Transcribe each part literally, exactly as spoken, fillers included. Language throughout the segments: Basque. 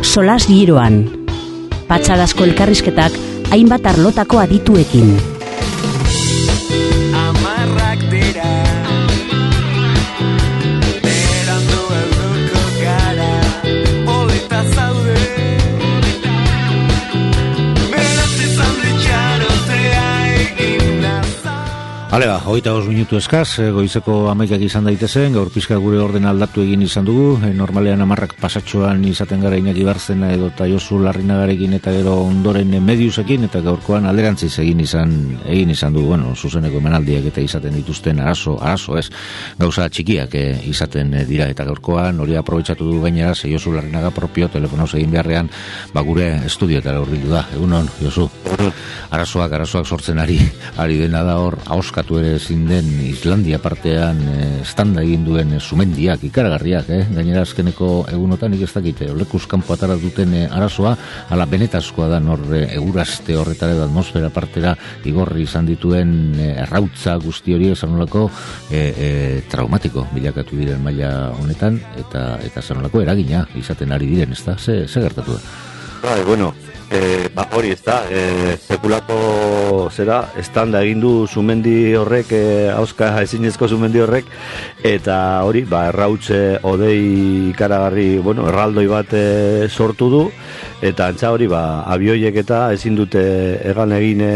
solas giroan. Patxadasko elkarrizketak hainbat arlotako adituekin. Amarrak dira berandu helduko gara polita zaude meratzi zaude txarotea egin naza. Alega, hogeita bost minutu eskaz, goizeko hamaikak izan daitezen, gaur pizka gure orden aldatu egin izan dugu, e, normalean hamarrak pasatxoan izaten gara Iñaki Barzena edo eta Josu Larrinagarekin eta gero ondoren mediusekin, eta gaurkoan alderantziz egin izan egin izan dugu, bueno, zuzeneko emanaldiak eta izaten dituzten arazo, arazo ez, gauza txikiak e, izaten e, dira, eta gaurkoan hori aprobetxatu du gainera, ze Josu Larrinaga propio telefonauz egin beharrean, ba gure estudioetara hurbildu da. Egunon, Josu, arazoak, arazoak sortzen ari, ari dena da hor, ahoskatu ere ezin den Islandia partean e, standa egin duen e, sumendiak, ikaragarriak, eh? Gainera azkeneko egunotan nik ez dakite, lekuz kanpo atara duten e, arazoa, ala benetazkoa da nor e, egurazte horretara edo atmosfera partera igorri izan dituen e, errautza guzti hori zanolako e, e, traumatiko bilakatu diren maila honetan, eta eta zanolako eragina izaten ari diren, ez da? Ze, ze gertatu da? Bai, bueno, e, ba, hori ez da, e, sekulako zera, estanda egin du sumendi horrek, e, hauska ezinezko sumendi horrek, eta hori, ba, errautze odei ikaragarri, bueno, erraldoi bat e, sortu du, eta antza hori, ba, abioiek eta ezin dute egan egin e,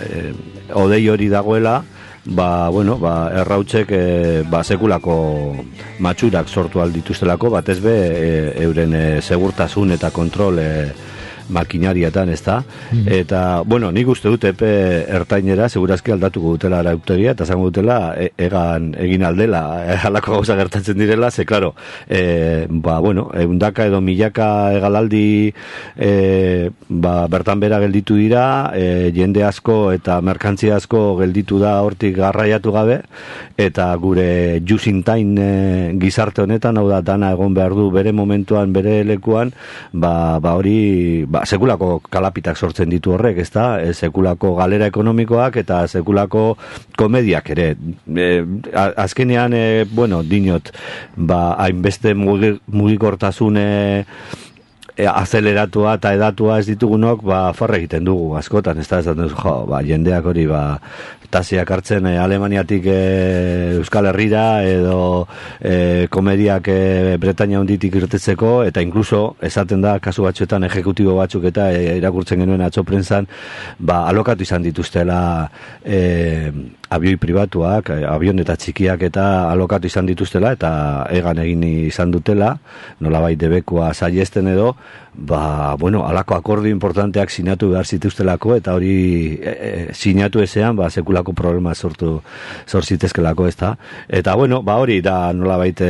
e, odei hori dagoela, ba, bueno, ba, errautzek e, ba, sekulako matxurak sortu aldituztelako, batez be, e, euren e, segurtasun eta kontrol e, makinariatan, ez da? Mm. Eta, bueno, nik uste dut epe ertainera, segurazki aldatuko dutela arautegia, eta zango dutela e, egan egin aldela, e, halako gauza gertatzen direla, ze, klaro, e, ba, bueno, eundaka edo milaka egalaldi e, ba, bertan bera gelditu dira, e, jende asko eta merkantzia asko gelditu da hortik garraiatu gabe, eta gure jusintain e, gizarte honetan, hau da, dana egon behar du bere momentuan, bere lekuan, ba, ba hori, ba, sekulako kalapitak sortzen ditu horrek, ez da? E, sekulako galera ekonomikoak eta sekulako komediak ere. E, azkenean, e, bueno, dinot, ba, hainbeste mugikortasun e, e, azeleratua eta edatua ez ditugunok, ba, farra egiten dugu, askotan, ez da? Ez da, jo, ba, jendeak hori, ba, tasiak hartzen e, Alemaniatik e, Euskal Herrira edo e, komediak e, Bretaña honditik irtetzeko, eta inkluso esaten da kasu batzuetan ejekutibo batzuk eta e, irakurtzen genuen atzo prentsan, ba, alokatu izan dituztela e, abioi pribatuak, e, avion eta txikiak eta alokatu izan dituztela eta egan egin izan dutela, nolabait debekua saiesten edo, ba, bueno, alako akordio importanteak sinatu behar zituztelako, eta hori e, e, sinatu ezean, ba, sekulako problema sortu sortzitezkelako, ez da. Eta, bueno, ba, hori da nolabait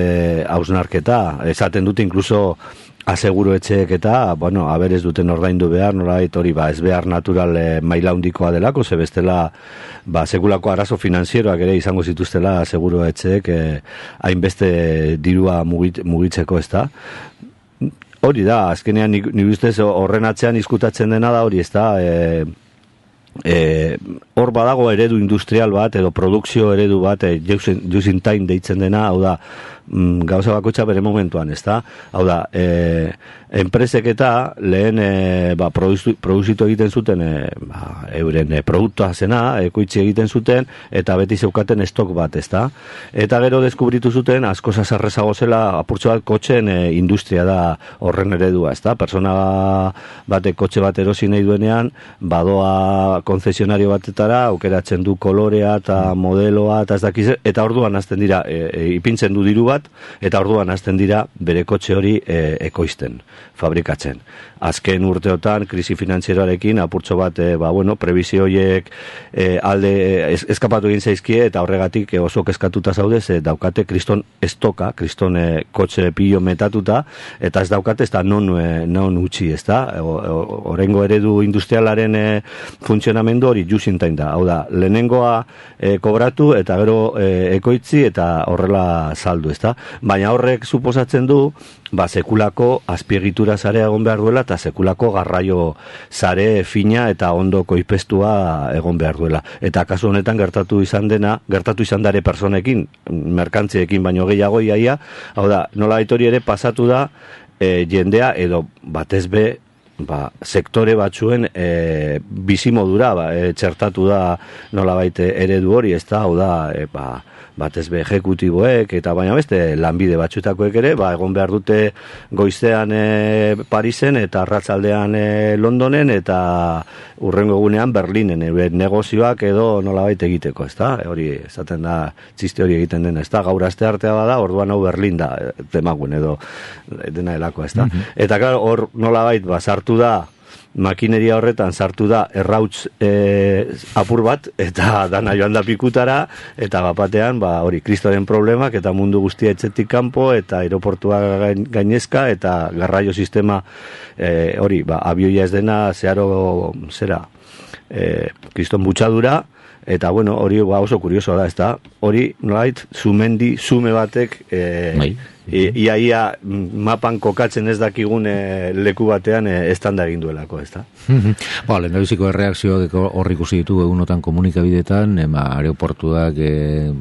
hausnarketa, esaten dute inkluso aseguru etxeek eta, bueno, aberez duten ordaindu behar, nolabait hori, ba, ez behar natural e, maila handikoa delako, ze bestela, ba, sekulako arazo finanzieroak ere izango zituztela aseguru etxeek e, hainbeste dirua mugit, mugitzeko, ez da. Hori da, azkenean nik, nik ustez horren atzean izkutatzen dena da hori, ez da, e, e, hor badago eredu industrial bat, edo produkzio eredu bat, e, just in time deitzen dena, hau da, mm, gauza bakoitza bere momentuan, ez da, hau da, e, enpresek eta lehen e, ba, produzitu egiten zuten e, ba, euren e, produktua zena, ekoitzi egiten zuten, eta beti zeukaten estok bat, ez da, eta gero deskubritu zuten asko zazarrezago zela apurtxo bat kotxen e, industria da horren eredua, ez da, persona batek kotxe bat erosi nahi duenean, badoa konzesionario batetara, aukeratzen du kolorea eta modeloa, eta ez dakiz, eta orduan hasten dira, e, e, ipintzen du diru bat, eta orduan hasten dira bere kotxe hori e, ekoizten, fabrikatzen. Azken urteotan, krisi finanzieroarekin, apurtxo bat, e, ba, bueno, prebizio horiek e, alde ez, eskapatu egin zaizkie, eta horregatik e, oso kezkatuta zaudez, e, daukate kriston estoka, kriston e, kotxe pillo metatuta, eta ez daukate ez da non, e, non utzi, ez da? Horrengo eredu industrialaren e, funtzionamendu hori jusintain da. Hau da, lehenengoa e, kobratu, eta gero e, ekoitzi, eta horrela saldu, ez da? Baina horrek suposatzen du, ba, sekulako azpiegitura zarea egon behar duela, eta sekulako garraio sare fina eta ondo koipestua egon behar duela. Eta kasu honetan gertatu izan dena, gertatu izan dare personekin, merkantziekin baino gehiago iaia, hau da, nola hori ere pasatu da, e, jendea edo batez be ba, sektore batzuen e, bizimodura ba, e, txertatu da nolabait eredu hori, ez da, hau da, e, ba, batez be ejekutiboek eta baina beste lanbide batxutakoek ere, ba, egon behar dute goizean e, Parisen eta arratzaldean e, Londonen eta urrengo egunean Berlinen e, negozioak edo nolabait egiteko, ez da, e, hori esaten da, txiste hori egiten dena, ez da, gaur aste artea bada, orduan hau Berlin da, demagun edo dena helako, ez da, mm-hmm. Eta klar, hor nolabait, ba, sartu da, makineria horretan sartu da errauts e, apur bat eta dana joan da pikutara eta bapatean ba hori kristoren problemak eta mundu guztia etxetik kanpo eta aeroportua gainezka eta garraio sistema e, hori ba abioia ez dena zeharo zera e, kriston butxadura eta bueno hori ba, oso kuriosoa da, ezta? Hori nolait zumendi zume batek e, bai. I, ia, ia mapan kokatzen ez dakigun e, leku batean e, estanda egin duelako, ez da? Ba, lehen da biziko erreakzio horri ikusi ditugu egunotan komunikabidetan, ema aeroportuak e,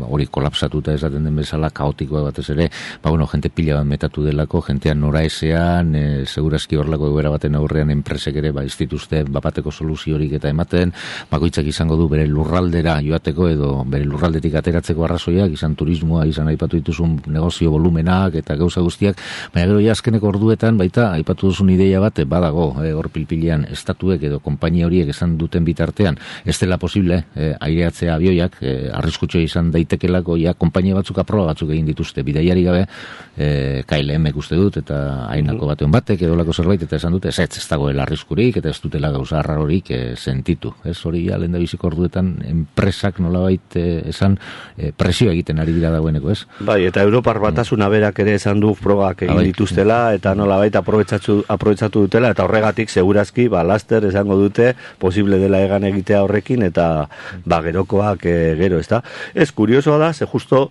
hori kolapsatuta esaten den bezala, kaotikoa batez ere, ba, bueno, jente pila bat metatu delako, jentean nora esean, e, segurazki horlako egoera baten aurrean enpresek ere, ba, ez dituzte bapateko soluziorik eta ematen, bakoitzak izango du bere lurraldera joateko edo bere lurraldetik ateratzeko arrazoiak, izan turismoa, izan aipatu dituzun negozio volumenak, eta gauza guztiak, baina gero ja azkeneko orduetan baita aipatu duzun ideia bat badago, eh, hor pilpilean estatuek edo konpainia horiek esan duten bitartean ez dela posible eh, aireatzea abioiak, eh, arriskutxo izan daitekelako ja konpainia batzuk aproba batzuk egin dituzte bidaiari gabe, eh, K L M uste dut eta hainako batean batek edo lako zerbait eta esan dute ez ez dagoela arriskurik eta ez dutela gauza arrarorik eh, sentitu, ez hori ja lehen da biziko orduetan enpresak nolabait eh, esan eh, presio egiten ari dira dagoeneko, ez? Bai, eta Europar Batasuna berak ere esan du frogak egin dituztela eta nolabait aprobetxatu, aprobetxatu dutela eta horregatik segurazki ba, laster esango dute posible dela egan egitea horrekin eta ba, gerokoak e, gero, ez da? Ez kuriosoa da, ze justo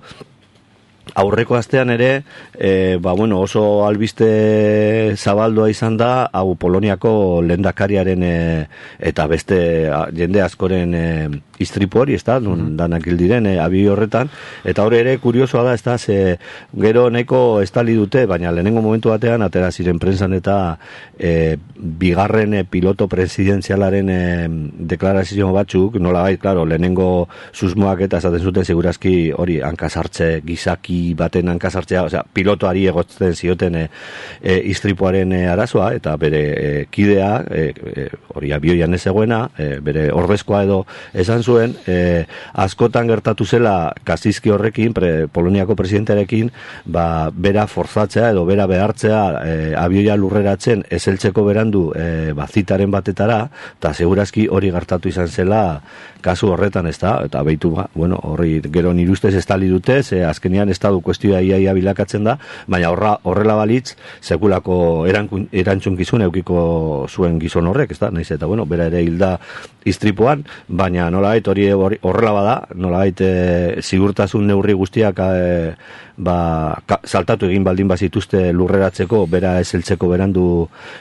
aurreko astean ere e, ba, bueno, oso albiste zabaldua izan da hau Poloniako lehendakariaren e, eta beste a, jende askoren e, istripu hori, ez da, nun danak hil diren, e, abi horretan, eta hori ere kuriosoa da, ez da, ze gero nahiko estali dute, baina lehenengo momentu batean, atera ziren prentsan eta e, bigarren e, piloto presidenzialaren e, deklarazio batzuk, nola bai, klaro, lehenengo susmoak eta esaten zuten segurazki hori hankasartze gizaki baten hankasartzea, osea, pilotoari egotzen zioten e, e, istripuaren e, arazoa, eta bere e, kidea, e, e, hori abioian ez egoena, e, bere ordezkoa edo esan zuen, e, askotan gertatu zela Kaczynski horrekin, pre, Poloniako presidentearekin, ba, bera forzatzea edo bera behartzea e, abioia lurreratzen ezeltzeko berandu e, bazitaren batetara, eta segurazki hori gertatu izan zela kasu horretan, ez da, eta behitu, ba, bueno, horri gero nire ustez estali dute, ze azkenean estadu kuestioa iaia bilakatzen da, baina horra, horrela balitz, sekulako erantzunkizun eukiko zuen gizon horrek, ez da, nahiz eta, bueno, bera ere hilda istripuan, baina nolabait hori horrela bada, nolabait e, sigurtasun neurri guztiak e, ba, ka, saltatu egin baldin bazituzte lurreratzeko, bera ezeltzeko berandu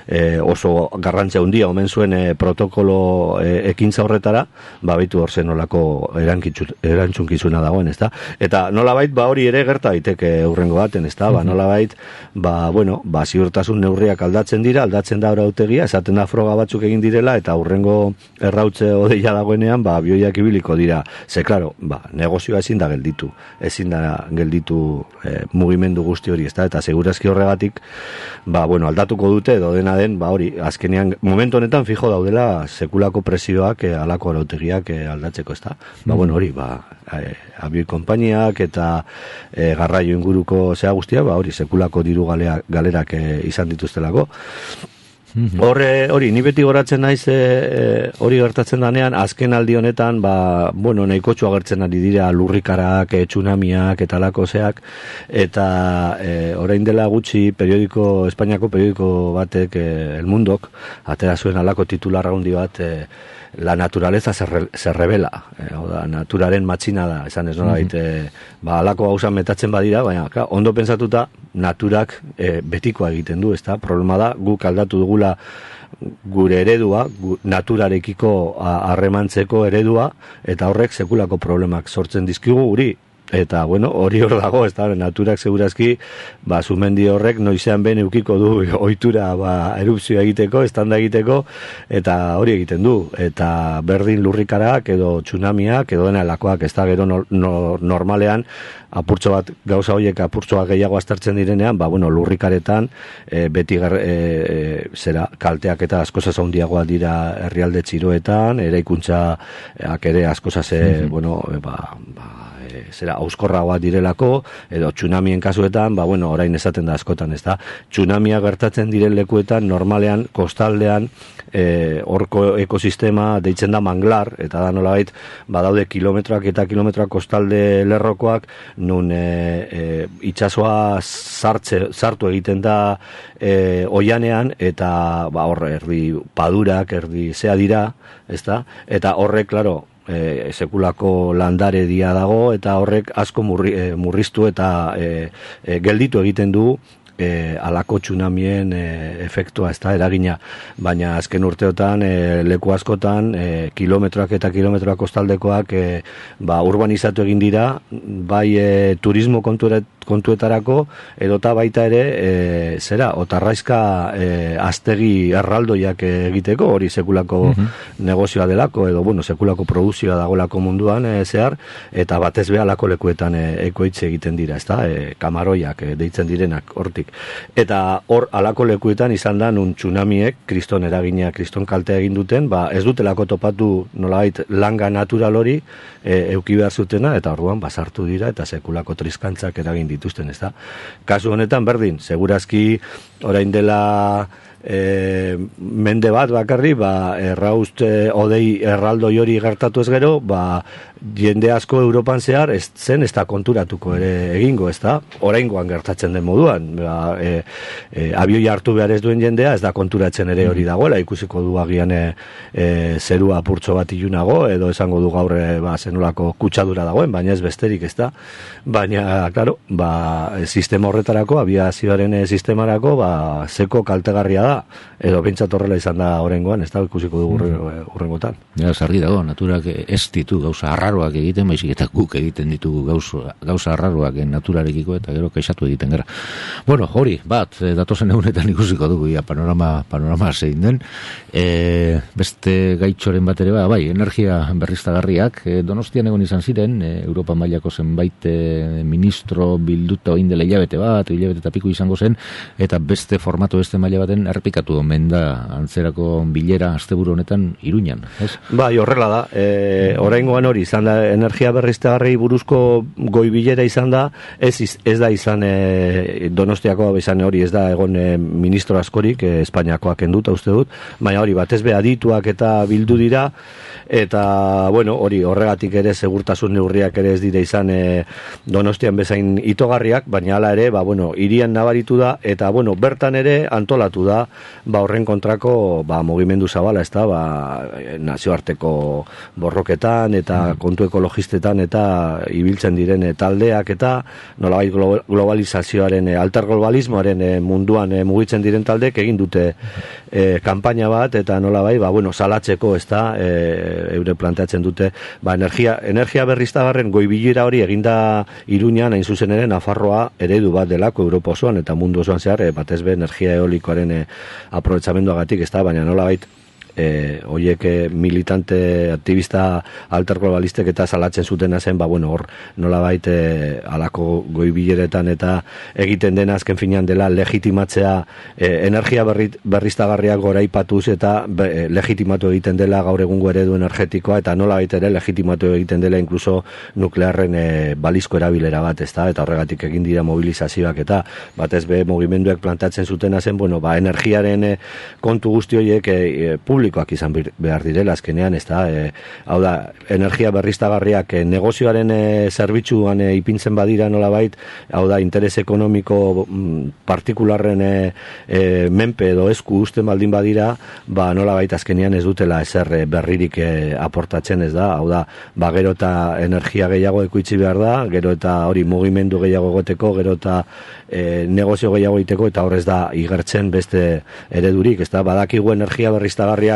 e, oso garrantzia handia omen zuen e, protokolo e, ekintza horretara, ba, baitu hor zen nolako erantzunkizuna dagoen, ez da? Eta nolabait, ba, hori ere gerta daiteke hurrengo baten, ez da? Ba, nolabait, ba, bueno, ba, ziurtasun neurriak aldatzen dira, aldatzen da arautegia, esaten da froga batzuk egin direla, eta hurrengo errautze odeia dagoenean, ba, bioiak ibiliko dira. Ze, klaro, ba, negozioa ezin da gelditu, ezin da gelditu e, mugimendu guzti hori, ez da? Eta segurazki horregatik, ba, bueno, aldatuko dute, edo dena den, ba, hori, azkenean, momentu honetan fijo daudela sekulako presioak, e, alako arautegiak e, aldatzeko, ez da? Ba, bueno, hori, ba, e, abioi konpainiak eta e, garraio inguruko zea guztia, ba, hori, sekulako diru galea, galerak e, izan dituztelako. Horre, hori, ni beti goratzen naiz e, hori gertatzen danean, azken aldi honetan, ba, bueno, nahikotxu agertzen ari dira lurrikarak, e, tsunamiak eta lako zeak, eta e, orain dela gutxi periodiko, Espainiako periodiko batek, e, El Mundok, atera zuen alako titular handi bat, e, la naturaleza se, re, se revela, e, oda, naturaren matxina da, esan ez nola, mm-hmm. e, ba, alako hausan metatzen badira, baina, ka, ondo pensatuta, naturak e, betikoa egiten du, ezta? Problema da, guk aldatu dugula gure eredua, gu, naturarekiko harremantzeko eredua, eta horrek sekulako problemak sortzen dizkigu guri, eta bueno, hori hor dago, ez da, naturak segurazki, ba, sumendi horrek noizean ben eukiko du ohitura ba, erupzioa egiteko, estanda egiteko, eta hori egiten du, eta berdin lurrikarak edo tsunamiak edo dena lakoak, ez da, gero no, no, normalean, apurtxo bat, gauza horiek apurtxo bat gehiago aztertzen direnean, ba, bueno, lurrikaretan, e, beti gar, e, e, zera, kalteak eta askozaz handiagoa dira herrialde txiroetan, eraikuntzaak ere askozaz, mm-hmm. bueno, e, ba, ba, zera auskorragoa direlako, edo tsunamien kasuetan, ba bueno, orain esaten da askotan, ez da, tsunamia gertatzen diren lekuetan, normalean, kostaldean, e, orko ekosistema deitzen da manglar, eta da nolabait, badaude kilometroak eta kilometroak kostalde lerrokoak, nun e, e, itsasoa sartze, sartu egiten da e, oianean, eta ba hor, erdi padurak, erdi zea dira, ez da, eta horrek, klaro, E, sekulako landare dia dago eta horrek asko murri, e, murriztu eta e, e, gelditu egiten du e, alako tsunamien e, efektua, ez da, eragina, baina azken urteotan e, leku askotan e, kilometroak eta kilometroak kostaldekoak e, ba, urbanizatu egin dira, bai e, turismo konturet, kontuetarako, edota baita ere, e, zera, otarraizka e, aztegi erraldoiak egiteko, hori sekulako mm-hmm. negozioa delako, edo, bueno, sekulako produzioa dagolako munduan e, zehar, eta batez be alako lekuetan e, ekoitze egiten dira, ezta, e, kamaroiak e, deitzen direnak hortik. Eta hor alako lekuetan izan da nun tsunamiek, kriston eragina, kriston kaltea egin duten, ba, ez dutelako topatu nolabait langa natural hori e, euki behar zutena, eta orduan basartu dira, eta sekulako triskantzak eragin dituzten, ez da. Kasu honetan berdin, segurazki orain dela e, mende bat bakarri, ba, erraust e, odei erraldoi hori gertatu ez gero, ba, jende asko Europan zehar ez zen ez da konturatuko ere egingo, ez da, oraingoan gertatzen den moduan, ba, e, e, abioi hartu behar ez duen jendea, ez da konturatzen ere hori dagoela, ikusiko du agian e, e, zerua apurtxo bat ilunago, edo esango du gaur e, ba, zenolako kutsadura dagoen, baina ez besterik, ez da, baina, klaro, ba, sistema horretarako, abiazioaren e, sistemarako, ba, zeko kaltegarria da, edo bintzat horrela izan da oraingoan, ez da, ikusiko du urrengotan. Ja, zargi dago, naturak ez ditu gauza arraroak egiten, baizik eta guk egiten ditugu gauza, gauza arraroak naturarekiko, eta gero kaixatu egiten gara. Bueno, hori, bat, datozen egunetan ikusiko dugu, ja, panorama, panorama zein den, e, beste gaitxoren bat ere, ba, bai, energia berriztagarriak, e, Donostian egon izan ziren, e, Europa mailako zenbait e, ministro bilduta oin dela hilabete bat, hilabete eta piku izango zen, eta beste formato beste maila baten errepikatu omen da antzerako bilera asteburu honetan Iruñan, ez? Bai, horrela da. E, oraingoan hori izan da, energia berriztagarri buruzko goi bilera izan da, ez, ez da izan e, Donostiako izan hori, ez da egon e, ministro askorik, e, Espainiakoak enduta uste dut, baina hori batez be adituak eta bildu dira, eta bueno, hori horregatik ere segurtasun neurriak ere ez dira izan e, Donostian bezain itogarriak, baina hala ere, ba bueno, hirian nabaritu da, eta bueno, bertan ere antolatu da, ba horren kontrako ba mugimendu zabala, ez da, ba nazioarteko borroketan eta kontu ekologistetan eta ibiltzen diren taldeak eta nolabait globalizazioaren, alterglobalismoaren munduan e, mugitzen diren taldeek egin dute e, kanpaina bat, eta nolabait, ba bueno, salatzeko, ez da, e, eure planteatzen dute, ba energia, energia berriztagarren goi bilera hori eginda Iruñan, hain zuzen ere Nafarroa eredu bat delako Europa osoan eta mundu osoan zehar, e, batez be energia eolikoaren e, aprobetxamenduagatik, ez da, baina nolabait E, oiek e, militante aktivista alterglobalistek eta salatzen zutena zen, ba bueno, hor nolabait e, alako goi bileretan eta egiten dena azken finean dela legitimatzea e, energia berri, berriztagarriak goraipatuz eta be, e, legitimatu egiten dela gaur egungo eredu energetikoa, eta nolabait ere legitimatu egiten dela inkluso nuklearren e, balizko erabilera bat, ezta, eta horregatik egin dira mobilizazioak eta batez be mugimenduek plantatzen zutena zen, bueno, ba energiaren e, kontu guzti horiek e, e, publikoak izan behar direla azkenean, ez da, e, hau da, energia berriztagarriak e, negozioaren e, zerbitzuan e, ipintzen badira nolabait, hau da, interes ekonomiko m, partikularren e, e, menpe edo esku usten baldin badira, ba nolabait azkenean ez dutela ezer e, berririk e, aportatzen, ez da, hau da, ba gero eta energia gehiago ekoitzi behar da, gero eta hori mugimendu gehiago egoteko, gero eta e, negozio gehiago egiteko, eta horrez da igertzen beste eredurik, ez da, badakigu energia berriztagarriak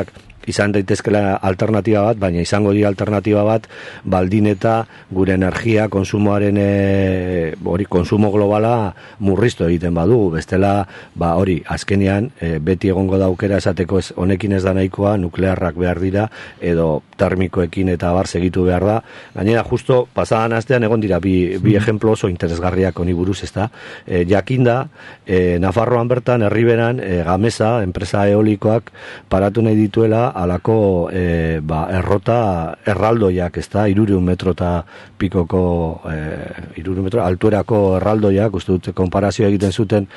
izan daitezkela alternatiba bat, baina izango dira alternatiba bat baldin eta gure energia konsumoaren e, hori konsumo globala murriztu egiten badugu, bestela ba hori azkenean e, beti egongo daukera esateko ez honekin ez da nahikoa, nuklearrak behar dira edo termikoekin eta bar segitu behar da. Gainera justo pasadan astean egon dira bi, bi ejemplo oso interesgarriak honi buruz, ezta. E, jakinda e, Nafarroan bertan herriberan e, Gamesa enpresa eolikoak paratu nahi dituela alako e, ba, errota erraldoiak, ezta, hirurehun metro eta pikoko e, hirurehun metro altuerako erraldoiak, uste dut konparazioa egiten zuten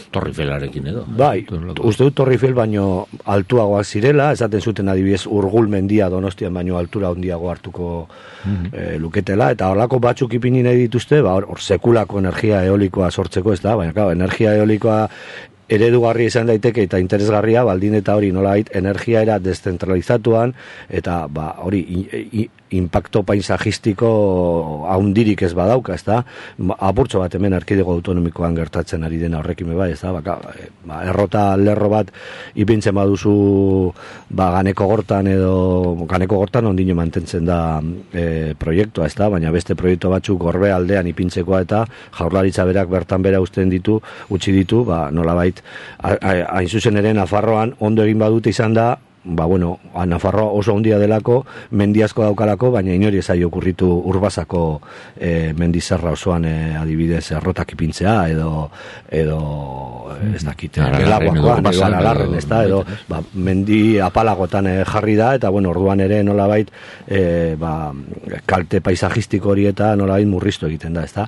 Torrifelarekin edo. Bai, uste dut Torrifel baino altuagoak zirela, esaten zuten adibidez Urgul mendia Donostian baino altura handiago hartuko mm-hmm. e, luketela, eta horlako batzuk ipini nahi dituzte, ba, hor sekulako energia eolikoa sortzeko, ez da, baina, claro, energia eolikoa eredugarri izan daiteke eta interesgarria, baldin eta hori nolabait energia era deszentralizatuan eta ba hori impacto paisajistiko haundirik ez badauka, ezta? Apurtxo bat hemen erkidego autonomikoan gertatzen ari dena horrekin bai, ezta? Ba, ba, errota lerro bat ipintzen baduzu ba Ganeko Gortan edo Ganeko Gortan ondino mantentzen da e, proiektua, ezta? Baina beste proiektu batzuk Gorbe aldean ipintzekoa eta Jaurlaritza berak bertan bera uzten ditu, utzi ditu, ba nolabait hain zuzen ere Nafarroan ondo egin badute izan da, ba bueno, Nafarroa oso handia delako, mendiazko daukalako, baina inori ez zaio okurritu Urbasako e, mendizerra osoan e, adibidez errotak ipintzea edo edo ez dakite gelaguakoan edo Aralarren, ez da, edo ba, mendi apalagotan e, jarri da, eta bueno, orduan ere nolabait e, ba, kalte paisajistiko hori eta nolabait murriztu egiten da, ez da.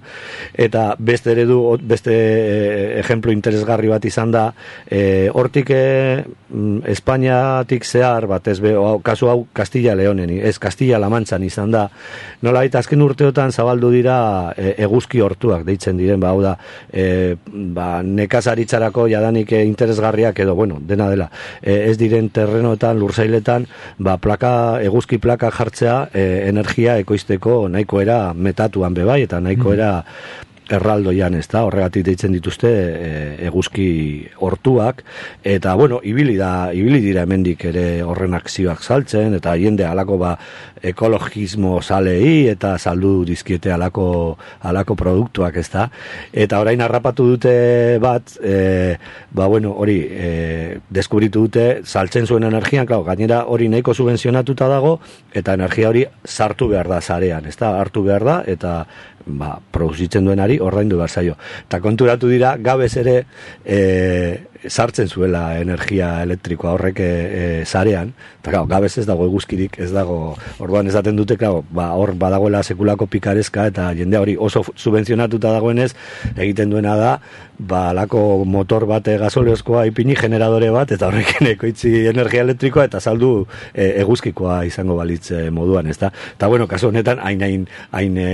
Eta beste eredu, beste e, ejemplo interesgarri bat izan da, e, hortik e, Espainiatik zehar batez be, o, kasu hau Castilla Leonen, ez Castilla La Mantzan izan da, nolabait azken urteotan zabaldu dira e, eguzki hortuak deitzen diren, ba, hau da, e, ba, nekazaritzarako jadanik e, interesgarriak edo, bueno, dena dela, e, ez diren terrenoetan, lursailetan, ba, plaka, eguzki plaka jartzea e, energia ekoizteko nahikoera metatuan bebai, eta nahikoera erraldoian, ez da, horregatik deitzen dituzte e, eguzki hortuak, eta, bueno, ibili da, ibili dira hemendik ere horren akzioak saltzen, eta jende alako ba, ekologismo salei, eta saldu dizkiete alako, alako produktuak, ez da, eta orain harrapatu dute bat, e, ba, bueno, hori, e, deskubritu dute, saltzen zuen energian, klar, gainera hori nahiko subvenzionatuta dago, eta energia hori sartu behar da zarean, ez da, hartu behar da, eta ba, produzitzen duenari ordaindu behar zaio. Eta konturatu dira, gabez ere e, sartzen zuela energia elektrikoa horrek e, e, zarean, eta gau, gabez ez dago eguzkirik, ez dago, orduan esaten dute, gau, ba, hor badagoela sekulako pikarezka, eta jende hori oso subvenzionatuta dagoenez, egiten duena da, ba, alako motor bat e, gasoleozkoa ipini generadore bat, eta horrekin ekoitzi energia elektrikoa, eta saldu e, eguzkikoa izango balitz e, moduan, ez da? Eta bueno, kasu honetan, hain, hain, hain e,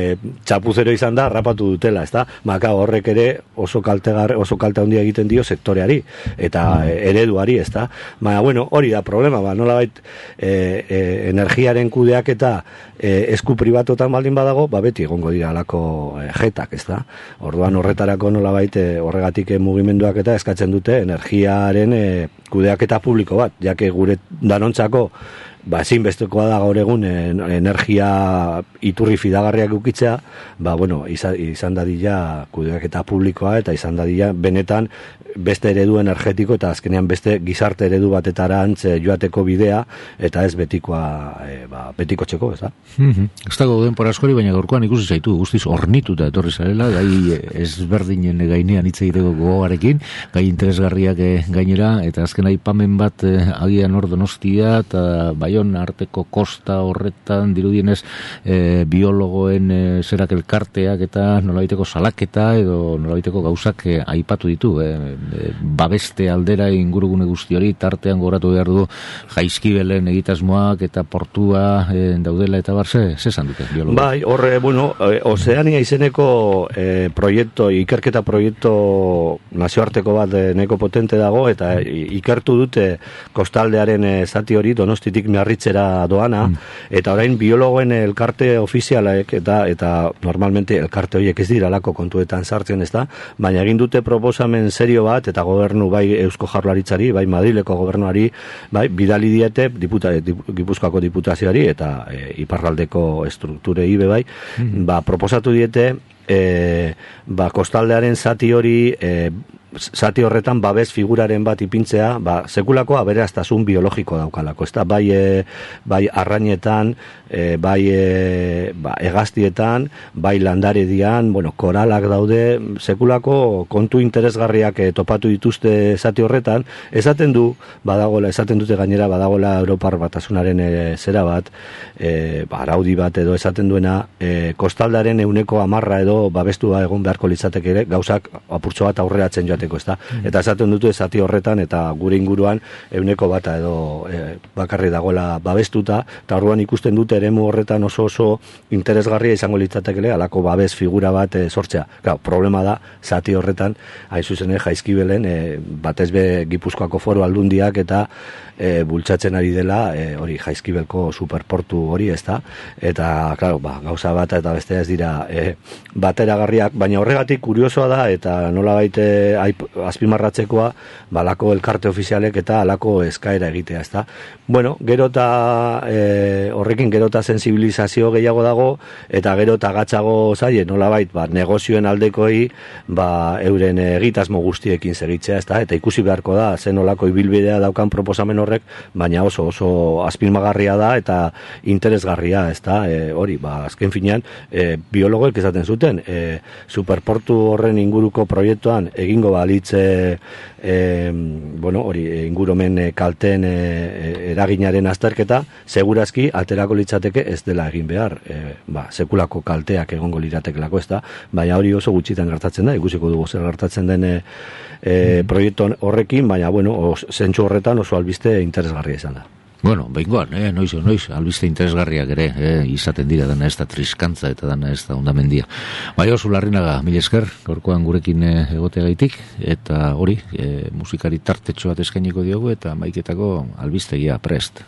txapuzero izan da, rapatu dutela, ez da? Maka horrek ere oso kalte, oso kalte handia egiten dio sektoreari, eta e, ereduari, ez da? Baina, bueno, hori da problema, ba, nolabait e, e, energiaren kudeak eta e, esku pribatotan baldin badago, ba, beti egongo dira alako e, jetak, ez da? Orduan horretarako nolabait e, horregatik e, mugimenduak eta eskatzen dute energiaren e, kudeaketa publiko bat, jake gure danontzako ba, ezinbestekoa da gaur egun energia iturri fidagarriak ukitzea, ba, bueno, izan, izan dadila kudeaketa publikoa eta izan dadila benetan beste eredu energetiko eta azkenean beste gizarte eredu batetara antze joateko bidea eta ez betikoa e, ba, betiko txeko, ez da? Mm-hmm. Ez dago denpora askori, baina gaurkoan ikusi zaitu guztiz ornituta etorri zarela, gai ezberdinen gainean hitz egiteko gogoarekin, gai interesgarriak gainera, eta azken aipamen bat agian hor Donostia eta Baion arteko kosta horretan dirudienez e, biologoen e, zerak elkarteak eta nolabaiteko salaketa edo nolabaiteko gauzak e, aipatu ditu, e, e, babeste aldera ingurugune guzti hori, tartean goratu behar du Jaizkibelen egitasmoak eta portua e, daudela eta bar, ze, ze esan dute biologo? Bai, horre, bueno, e, Ozeania izeneko e, proiektu, ikerketa proiektu nazioarteko bat e, neko potente dago, eta e, ikertu dute kostaldearen e, zati hori Donostitik Miarritzera doana, mm. eta orain biologoen elkarte ofizialek eta eta normalmente elkarte horiek ez dira lako kontuetan sartzen, ez da, baina egin dute proposamen serio bat bat, eta gobernu bai Eusko Jaurlaritzari, bai Madrileko gobernuari, bai bidali diete diputa, dip, Gipuzkoako diputazioari eta e, iparraldeko strukturei be bai, mm-hmm. ba, proposatu diete e, ba, kostaldearen zati hori e, zati horretan babes figuraren bat ipintzea, ba, sekulako aberastasun biologiko daukalako, ez da, bai, e, bai arrainetan, e, bai e, ba, egaztietan, bai landaredian, bueno, koralak daude, sekulako kontu interesgarriak e, topatu dituzte zati horretan, esaten du, badagola, esaten dute gainera, badagola Europar Batasunaren e, zera bat, e, ba, araudi bat edo esaten duena, e, kostaldaren euneko amarra edo babestua egon beharko litzateke ere, gauzak apurtxo bat aurreratzen joateko. Ezta? Eta esaten dute zati horretan eta gure inguruan euneko bata edo e, bakarri dagoela babestuta, eta orduan ikusten dute eremu horretan oso oso interesgarria izango litzatekele alako babes figura bat e, sortzea. Claro, problema da zati horretan hain zuzen Jaizkibelen e, batez be Gipuzkoako Foru Aldundiak eta e, bultzatzen ari dela e, hori Jaizkibelko superportu hori, ezta? Eta claro, ba, gauza bat eta bestea ez dira e, bateragarriak, baina horregatik kuriosoa da eta nolabait e, azpimarratzekoa, balako elkarte ofizialek eta alako eskaera egitea, ezta? Bueno, gero eta e, horrekin gero eta sensibilizazio gehiago dago, eta gero eta gatzago zaie, nolabait, ba, negozioen aldekoi, ba, euren egitasmo guztiekin segitzea, ezta? Eta ikusi beharko da, zen olako ibilbidea daukan proposamen horrek, baina oso oso azpimarragarria da eta interesgarria, ezta? E, hori, ba, azken finean, e, biologoek esaten zuten, e, superportu horren inguruko proiektuan egingo balitze e, bueno, hori ingurumen kalten e, eraginaren azterketa, segurazki aterako litzateke ez dela egin behar, e, ba, sekulako kalteak egongo liratekelako, ez da, baina hori oso gutxitan gertatzen da, ikusiko dugu zer gertatzen den e, e, proiektu horrekin, baina bueno, zentsu horretan oso albiste interesgarria izan da. Bueno, behingoan, eh, noiz, noiz, albiste interesgarriak ere, eh, izaten dira, dana ez da triskantza eta dana ez da ondamendia. Bai, oso Larrinaga, mila esker, gaurkoan gurekin eh, egoteagaitik, eta hori, eh, musikari tartetxo bat eskainiko diogu, eta maiketako albistegia prest.